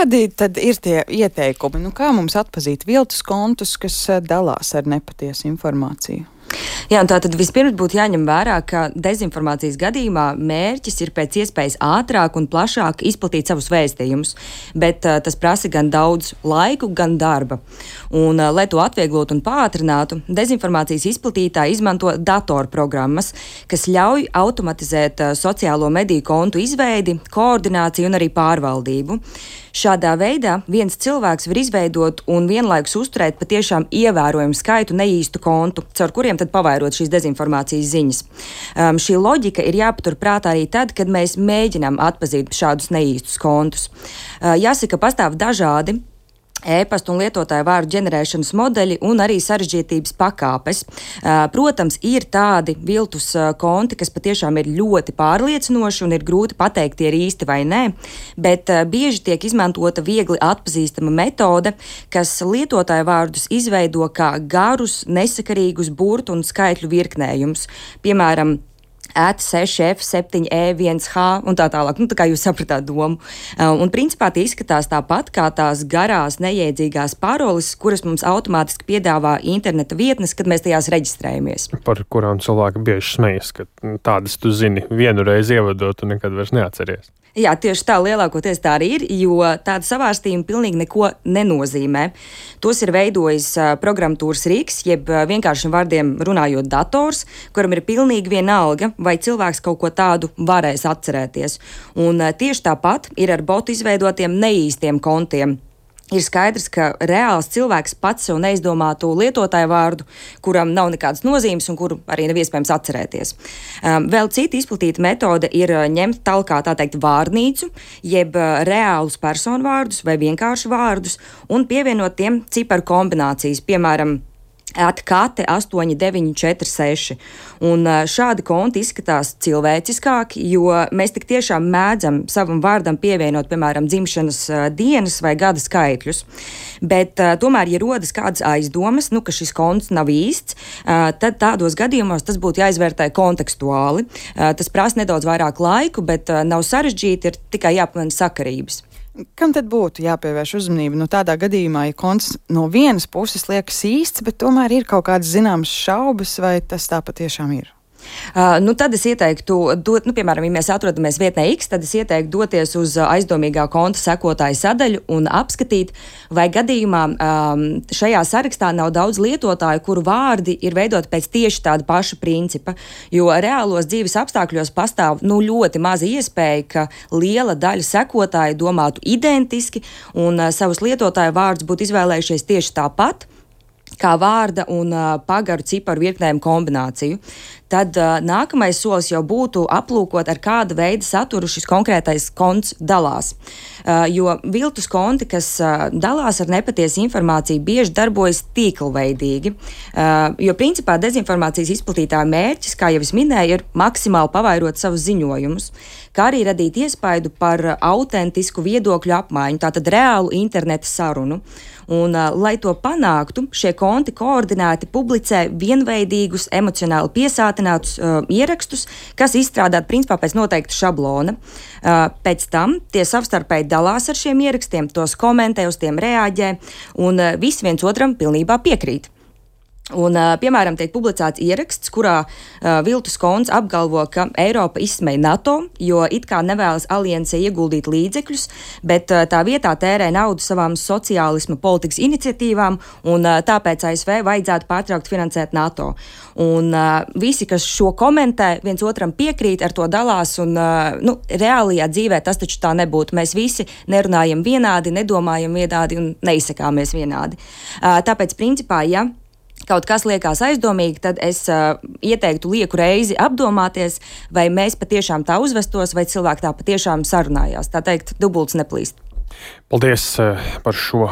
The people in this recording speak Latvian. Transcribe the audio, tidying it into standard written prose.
Kādi tad ir tie ieteikumi? Kā mums atpazīt viltus kontus, kas dalās ar nepatiesu informāciju? Jā, un tātad vispirms būtu jāņem vērā, ka dezinformācijas gadījumā mērķis ir pēc iespējas ātrāk un plašāk izplatīt savus vēstījumus, bet tas prasa gan daudz laiku, gan darba. Un, lai to atvieglotu un pātrinātu, dezinformācijas izplatītāji izmanto datorprogrammas, kas ļauj automatizēt sociālo mediju kontu izveidi, koordināciju un arī pārvaldību. Šādā veidā viens cilvēks var izveidot un vienlaikus uzturēt patiešām ievērojumu skaitu neīstu kontu, caur kuriem tad pavairot šīs dezinformācijas ziņas. Šī loģika ir jāpatur prātā arī tad, kad mēs mēģinām atpazīt šādus neīstus kontus. Jāsaka, pastāv dažādi e-pasta un lietotāju vārdu ģenerēšanas modeļi un arī sarežģītības pakāpes. Protams, ir tādi viltus konti, kas patiešām ir ļoti pārliecinoši un ir grūti pateikt, tie ir īsti vai nē, bet bieži tiek izmantota viegli atpazīstama metode, kas lietotāju vārdus izveido kā garus, nesakarīgus burtu un skaitļu virknējumus. Piemēram, @6F, 7E1H un tā tālāk. Tā kā jūs sapratāt domu. Un principā tie izskatās tāpat kā tās garās, nejēdzīgās paroles, kuras mums automātiski piedāvā interneta vietnes, kad mēs tajās reģistrējamies. Par kurām cilvēki bieži smejas, ka tādas tu zini vienu reizi ievadot un nekad vairs neatceries. Jā, tieši tā lielākoties tā arī ir, jo tāda savārstījuma pilnīgi neko nenozīmē. Tos ir veidojis programmatūras rīks, jeb vienkāršiem vārdiem runājot dators, kuram ir pilnīgi vienalga, vai cilvēks kaut ko tādu varēs atcerēties. Un tieši tāpat ir ar botu izveidotiem neīstiem kontiem. Ir skaidrs, ka reāls cilvēks pats sev neizdomātu lietotāju vārdu, kuram nav nekādas nozīmes un kuru arī nav iespējams atcerēties. Vēl cita izplatīta metode ir ņemt talkā, tā teikt, vārnīcu, jeb reālus personu vārdus vai vienkārši vārdus un pievienot tiem ciparu kombinācijas, piemēram, @kate 8946. Un šādi konti izskatās cilvēciskāki, jo mēs tik tiešām mēdzam savam vārdam pievienot, piemēram, dzimšanas dienas vai gada skaitļus. Bet tomēr, ja rodas kādas aizdomas, ka šis konts nav īsts, tad tādos gadījumos tas būtu jāizvērtē kontekstuāli. Tas prasa nedaudz vairāk laiku, bet nav sarežģīti, ir tikai jāpamana sakarības. Kam tad būtu jāpievērš uzmanība? Tādā gadījumā, ja konts no vienas puses liekas īsts, bet tomēr ir kaut kādas zināmas šaubas, vai tas tā patiešām ir? Tad es ieteiktu, piemēram, ja mēs atrodamies vietnē X, tad es ieteiktu doties uz aizdomīgā konta sekotāju sadaļu un apskatīt, vai gadījumā šajā sarakstā nav daudz lietotāju, kuru vārdi ir veidoti pēc tieši tāda paša principa, jo reālos dzīves apstākļos pastāv ļoti maza iespēja, ka liela daļa sekotāju domātu identiski un savus lietotāju vārdus būtu izvēlējušies tieši tāpat, kā vārda un pagaru ciparu virknējumu kombināciju. Tad nākamais solis jau būtu aplūkot, ar kāda veida saturu šis konkrētais konts dalās. Jo viltus konti, kas dalās ar nepatiesu informāciju, bieži darbojas tīklveidīgi. Jo principā dezinformācijas izplatītāja mērķis, kā jau es minēju, ir maksimāli pavairot savus ziņojumus, kā arī radīt iespaidu par autentisku viedokļu apmaiņu, tātad reālu interneta sarunu. Un, lai to panāktu, šie konti koordinēti publicē vienveidīgus, emocionāli piesātinātus ierakstus, kas izstrādāti principā pēc noteikta šablona. Pēc tam tie savstarpēji dalās ar šiem ierakstiem, tos komentē, uz tiem reaģē, un visi viens otram pilnībā piekrīt. Un, piemēram, tiek publicēts ieraksts, kurā viltus konts apgalvo, ka Eiropa izsmej NATO, jo it kā nevēlas aliansē ieguldīt līdzekļus, bet tā vietā tērē naudu savām sociālisma politikas iniciatīvām, un tāpēc ASV vajadzētu pārtraukt finansēt NATO. Un visi, kas šo komentē, viens otram piekrīt, ar to dalās, un reālajā dzīvē tas taču tā nebūtu. Mēs visi nerunājam vienādi, nedomājam vienādi un neizsakāmies vienādi. Tāpēc, principā, ja kaut kas liekas aizdomīgi, tad es ieteiktu lieku reizi apdomāties, vai mēs patiešām tā uzvestos, vai cilvēki tā patiešām sarunājās. Tā teikt, dubults neplīst. Paldies par šo